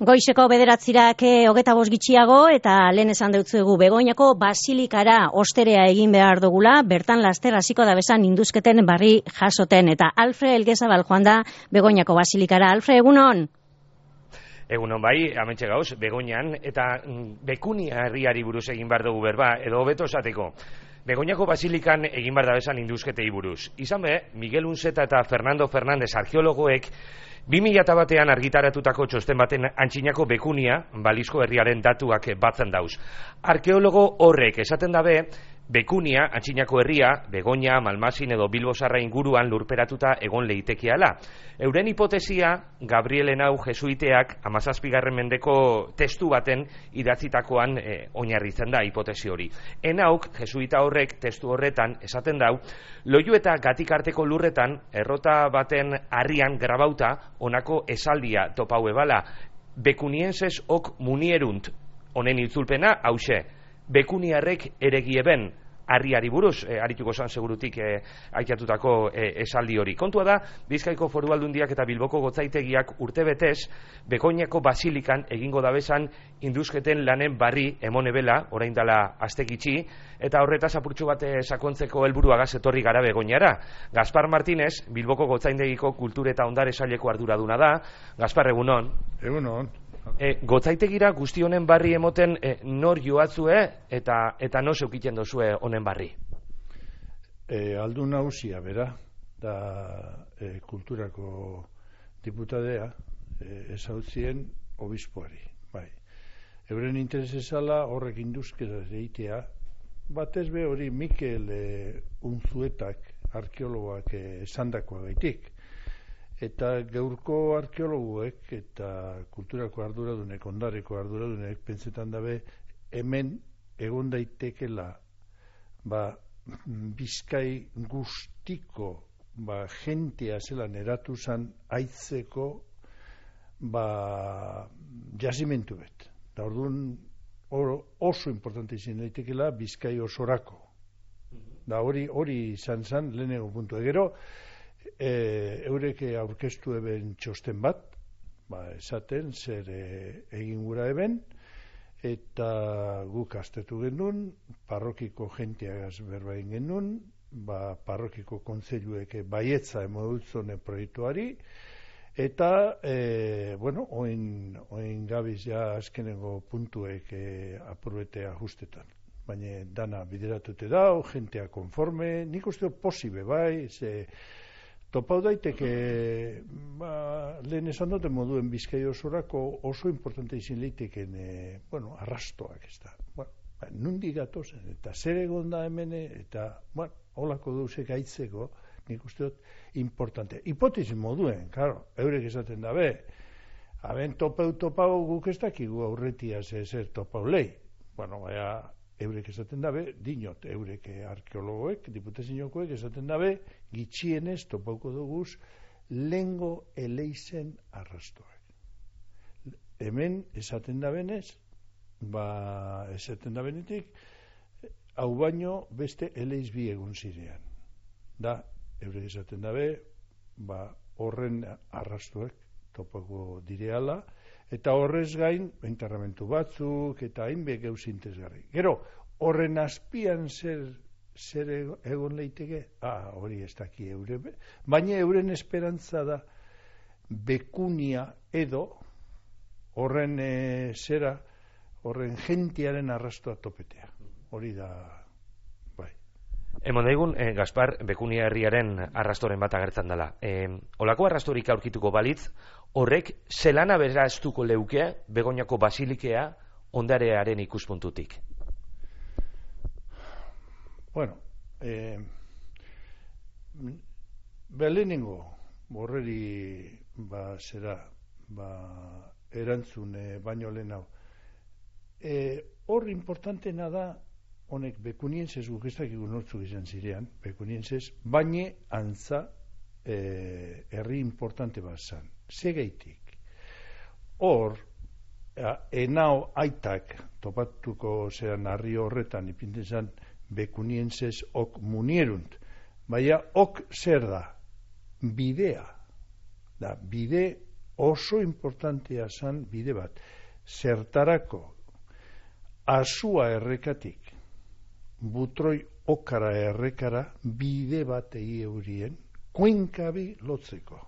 Goizeko 9:00 25 gitxiago eta lehen esan deutzuegu Begoñako basilikara osterea egin behar dugula, bertan laster hasiko da bezan induzketen barri jasoten eta Alfre Elgezabal joan da Begoñako basilikara. Alfre, egunon? Egunon bai, hementxe gauz, Begoñan eta Bekunia herriari buruz egin behar dugu berba, edo hobeto esateko. Begoñako basilikan egin behar da bezan induzketei buruz. Izan be, Miguel Unceta eta Fernando Fernández arkeologoek 2001an argitaratutako txosten baten antzinako Bekunia, balizko herriaren datuak batzen dauz. Arkeologo horrek esaten dabe, Bekunia, antzinako herria, Begoña, Malmasin edo Bilbo Zarra inguruan lurperatuta egon leitekeala. Euren hipotesia, Gabriel Henao jesuiteak 17. mendeko testu baten idatzitakoan oinarritzen da hipotesi hori. Henauk, jesuita horrek testu horretan esaten dau, Loiu eta Gatikarteko lurretan errota baten harrian grabauta honako esaldia topau ebala, Bekunienses ok munierunt, honen itzulpena hause, Bekuniarrek eregieben harriari buruz, arituko zan segurutik aitatutako esaldi hori. Kontua da, Bizkaiko Foru Aldundiak eta Bilboko Gotzaitegiak urtebetez Begoñako basilikan egingo dabezan induzketen lanen barri emonebela, orain dela astekitxi, eta horretaz apurtxo bat sakontzeko helburuagaz etorri gara Begoñara. Gaspar Martínez, Bilboko Gotzaitegiko Kultur eta Ondare Saileko arduraduna da. Gaspar, egunon. Egunon. Gotzaitegira guzti honen barri emoten nor joatzue eta no zeukiten dozue honen barri? Aldun nagusia, bera, da kulturako diputadea ezautzien obispoari. Bai. Euren interes ezala horrek induzkera eitea, batez be hori Mikel Unzuetak, arkeologoak esandakoa gaitik. Eta gaurko arkeologuek eta kulturako arduradunek, ondareko arduradunek, pentsetan dabe, hemen egon daitekela Bizkai guztiko jentea zelan eratu zan aitzeko jazimentu bet. Da orduan oso importante izan daitekela Bizkai osorako. Da hori izan zan lehenengo puntu. Gero, eureke aurkeztu eben txosten bat, esaten zer egin gura eben, eta guk astetu genuen, parrokiko jenteagaz berba egin genuen, parrokiko kontseiluek baietza emodutzone proiektuari, eta, oin gabiz ja azkenengo puntuek apurbete ajustetan. Baina dana bideratute dau, jentea konforme, nik uste posible bai, topau daiteke, lehen esan dute moduen Bizkai osorako oso importante izin leiteken, arrastoak ez da. Nundik gatozen, eta zer egon da hemen, eta, holako duzek aitzeko, nik uste dut, importante. Hipotezi moduen, claro, eurek esaten dabe, haben topau guk ez dakigu aurretia zer topau lehi. Eurek esaten dabe, dinot, eurek arkeologoek, diputaziokoek esaten dabe, gitxienez topauko duguz lengo eleizen arrastoak. Hemen esaten dabenez, esaten dabenetik, hau baino beste eleiz bi egun zirean. Da, eurek esaten dabe, horren arrastoak topauko direala, eta horrez gain, enterramentu batzuk, eta hainbek eus interesgarri. Gero, horren azpian zer egon leiteke? Hori ez daki eure. Baina euren esperantza da Bekunia edo horren horren jentiaren arrastoa topetea. Hori da, bai. Emon daigun, Gaspar, Bekunia herriaren arrastoren bat agertzen dela. Olako arrastorik aurkituko balitz, horrek zelana beraztuko leuke Begoñako basilikea ondarearen ikuspuntutik? Lehenengo horreri erantzun baino lehen hau. Hor importantena da honek Bekunienses guk ez dakigu nortzuk izan zirean, Bekunienses, baina antza herri importante bat zan. Segeitik. Hor, Henao aitak topatuko zean harri horretan ipinten zan Bekunienses ok munierunt. Baina ok zer da? Bidea. Da, bide oso importantea zan bide bat. Zertarako Azua errekatik Butroi okara errekara bide bat egi eurien kuenkabi lotzeko.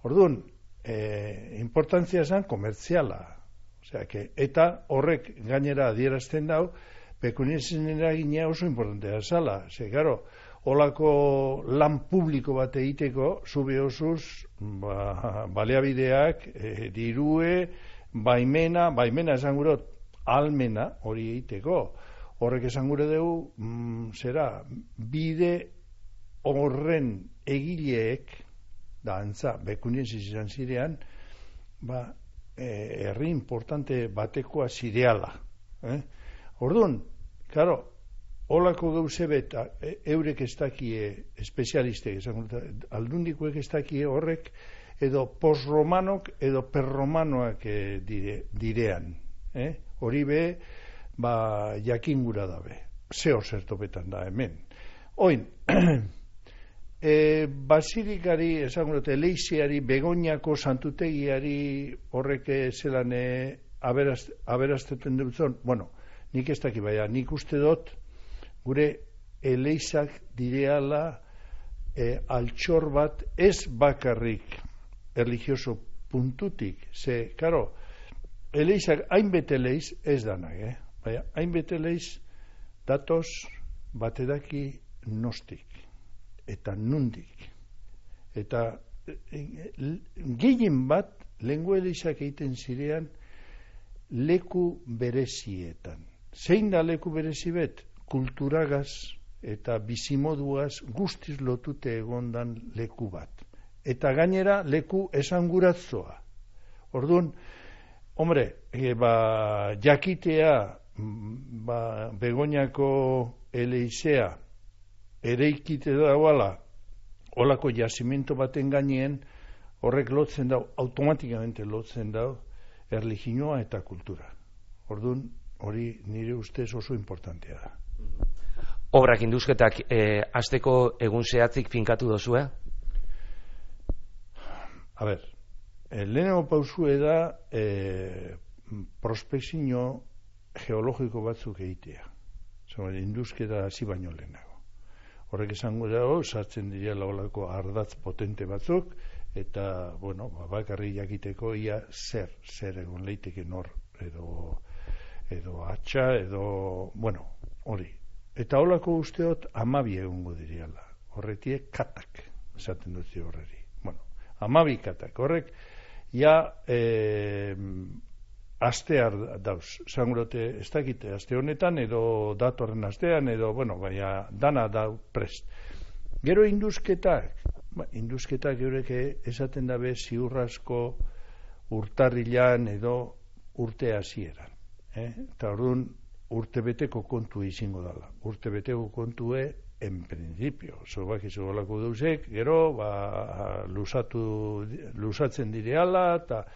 Orduan, importantzia zan komertziala. Eta horrek gainera adierazten dau, pekuniesen eragina oso importantea zala. Gero, holako lan publiko bat egiteko, zube osuz, baliabideak, dirue, baimena esan gurot, almena hori egiteko. Horrek esan gure dugu, bide horren egileek, da antza, bekunien izan zirean, herri importante batekoa zireala. Orduan, karo, holako gauze beta, eurek ez dakie, espezialistek, aldundikoek ez dakie horrek, edo posromanok, edo perromanoak direan. Hori be, jakingura dabe. Zeo zertopetan da hemen. Oin, basilikari, esan dute, Leiziari, Begoñako santutegiari horrek zelan aberazteten dutzen, bueno, nik ez daki baina, nik uste dut, gure eleizak direala altxor bat ez bakarrik religioso puntutik, ze, karo, eleizak hainbete eleiz ez danak, baina, hainbete eleiz datoz batedaki nostik. Eta nundik. Eta gehien bat lengua eleizak egiten zirean leku berezietan. Zein da leku berezi bet? Kulturagaz eta bizimoduaz guztiz lotute egondan leku bat. Eta gainera leku esanguratzoa. Orduan, hombre, jakitea Begoñako eleizea ereikite dauala olako jazimento baten gaineen horrek lotzen dau, automatikamente lotzen dau erlijinoa eta kultura. Orduan, hori nire ustez oso importantea da. Obrak induzketak hasteko egun zehatzik finkatu dozue? A ber, lehenengo pausue da prospekzio geologiko batzuk egitea. Induzketa hasi baino lehenago. Horrek esango dago, sartzen direla olako ardatz potente batzuk, eta, bueno, bakarri jakiteko ia zer egon leiteke nor, edo atxa, edo, bueno, hori. Eta olako usteot 12 egongo diriala. Horretie katak, esaten dut horreri. Bueno, 12 katak. Horrek, ja, astear dauz. Zangurote, ez dakite, aste honetan, edo datorren astean, edo, bueno, baina dana dau prest. Gero induzketak eureke esaten dabe ziurrasko urtarrilan edo urte hasieran. Eta orduan urtebeteko kontu izango dala. Urtebeteko kontue en principio. Zobak izo golako deuzek, gero, lusatzen direala, eta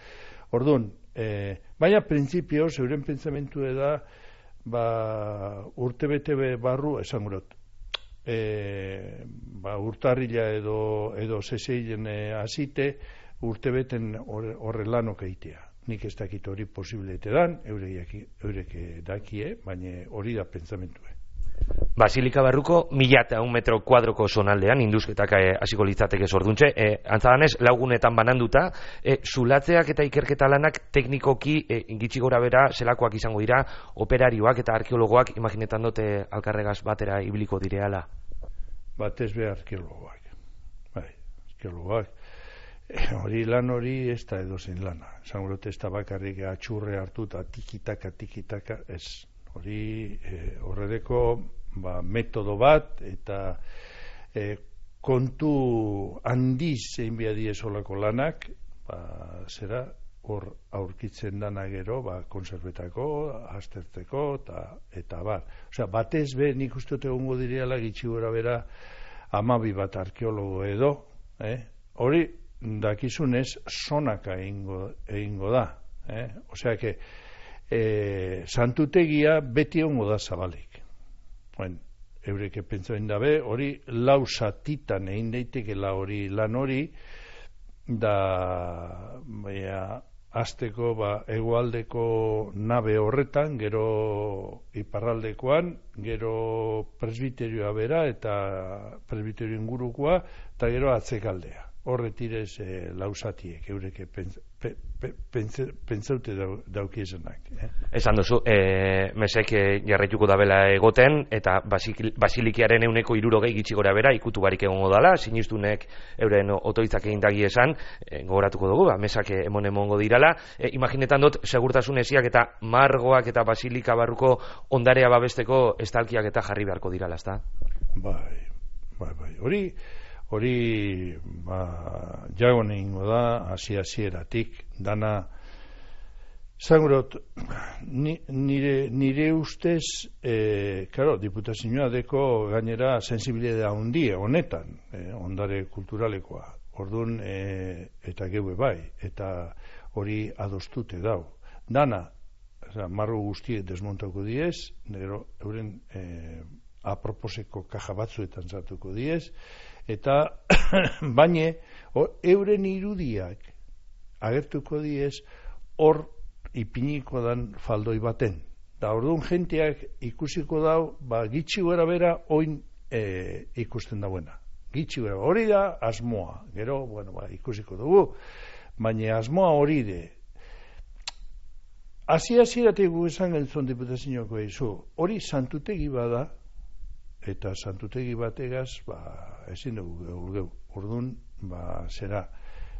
orduan, baina printzipioz, euren pentsamentu da, urtebete barru, esan gurot, urtarrila edo zeseilen hasite, urtebeten horre lanok eitea. Nik ez dakit hori posibilete dan, eurek dakie, baina hori da pentsamentue. Basilika barruko 1100 metro kuadroko zonaldean induzketak hasiko litzateke zorduntxe, antzadanez laugunetan bananduta, zulatzeak eta ikerketa lanak teknikoki gitxi gora bera zelakoak izango dira, operarioak eta arkeologoak imaginetan dute alkarregaz batera ibiliko direala. Batez be arkeologoak. Bai, arkeologoak. Hori lan hori ez da edozen lana. Zangurote ez da bakarrik atxurre hartuta tikitaka, ez. Hori horredeko metodo bat eta kontu handiz egin behar diezolako lanak zera hor aurkitzen dana gero konservetako, aztertzeko eta bar. Osea, batez be nik uste egongo direala gitxi gora bera 12 bat arkeologo edo, hori dakizunez sonaka egingo da. Osea, santutegia beti ongo da zabalik. Eureke pentsatzen dabe, hori 4 zatitan egin daitekela hori lan hori, da azteko hegoaldeko nabe horretan, gero iparraldekoan, gero presbiterioa bera eta presbiterio ingurukoa, eta gero atzekaldea. Horretirez lausatiek, eureke pentsaute daukiezenak. Esan duzu, mesek jarraituko dabela egoten, eta basilikiaren 160 gitxi gora bera, ikutu barik egongo dala, sinistunek euren otoitzak egin dagi esan, gogoratuko dugu, mesak emongo dirala. Imaginetan dut, segurtasun esiak eta margoak eta basilika barruko ondarea babesteko estalkiak eta jarri beharko dirala, ezta? Bai. Hori jagon egingo da, hasieratik dana, zangurot, nire ustez, diputazioa deko gainera sensibilidadea handia honetan, ondare kulturalekoa, orduan eta geue bai, eta hori adostute dau. Dana, marru guztiek desmontako diez, nero euren aproposeko kaja batzuetan sartuko diez, eta baina euren irudiak agertuko diez hor ipiniko dan faldoi baten. Da orduan jenteak ikusiko dau, gitxi gara bera oin ikusten dauena. Gitxi gara, hori da asmoa. Gero, ikusiko dugu, baina asmoa hori de. Hasieratik gu esan geltzon diputazioako eizu, hori santutegi bada, eta santutegi bategaz, ezin dugu geu. Orduan, zera,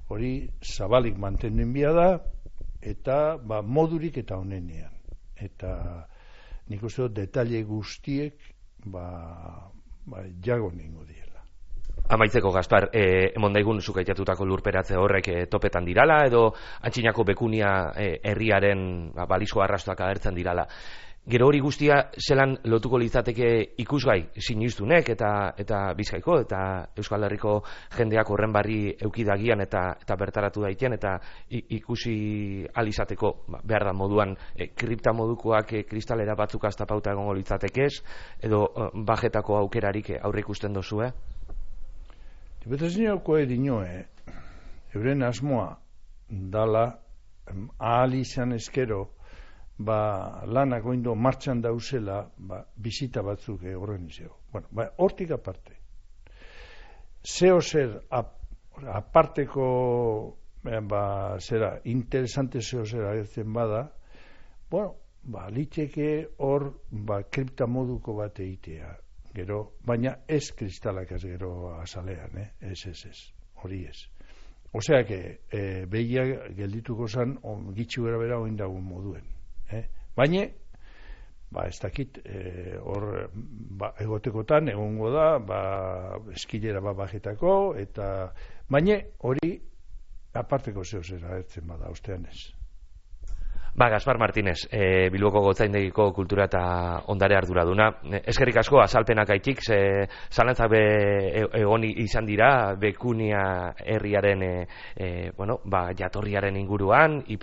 hori zabalik mantenen bia da, eta modurik eta honenean. Eta nik uste dut detalle guztiek jago ningo diela. Amaitzeko, Gaspar, emondaigun zukaitatutako lurperatze horrek topetan dirala, edo antxinako bekunia herriaren balizko arrastoak agertzen dirala. Gero hori guztia zelan lotuko litzateke ikusgai sinistunek eta Bizkaiko eta Euskal Herriko jendeak horren barri eukidagian eta bertaratu daiten eta ikusi alizateko behar da moduan kripta modukoak kristalera batzuk astapauta egongo litzatekez edo bajetako aukerarik aurre ikusten dozu, Diputazioako edinoe, euren asmoa dala ahal izan eskero lanak oindo martxan dauzela bizita batzuk horren izeo. Hortik aparte. Zeo zer aparteko interesante zeo zer agertzen bada, liteke hor kripta moduko bat egitea. Gero, baina ez kristalak ez gero azalean, ez, hori ez. Osea, behia geldituko zan, gitxu gara bera oindagun moduen. Baina, ez dakit, hor egotekotan egongo da, eskilera bajetako, eta baina hori aparteko zeo zera agertzen bada, ostean ez. Gaspar Martínez, Bilboko Gotzaindegiko kultura eta ondare arduraduna. Eskerrik asko azalpenak aitik, zalantzak egon izan dira, Bekunia herriaren jatorriaren inguruan,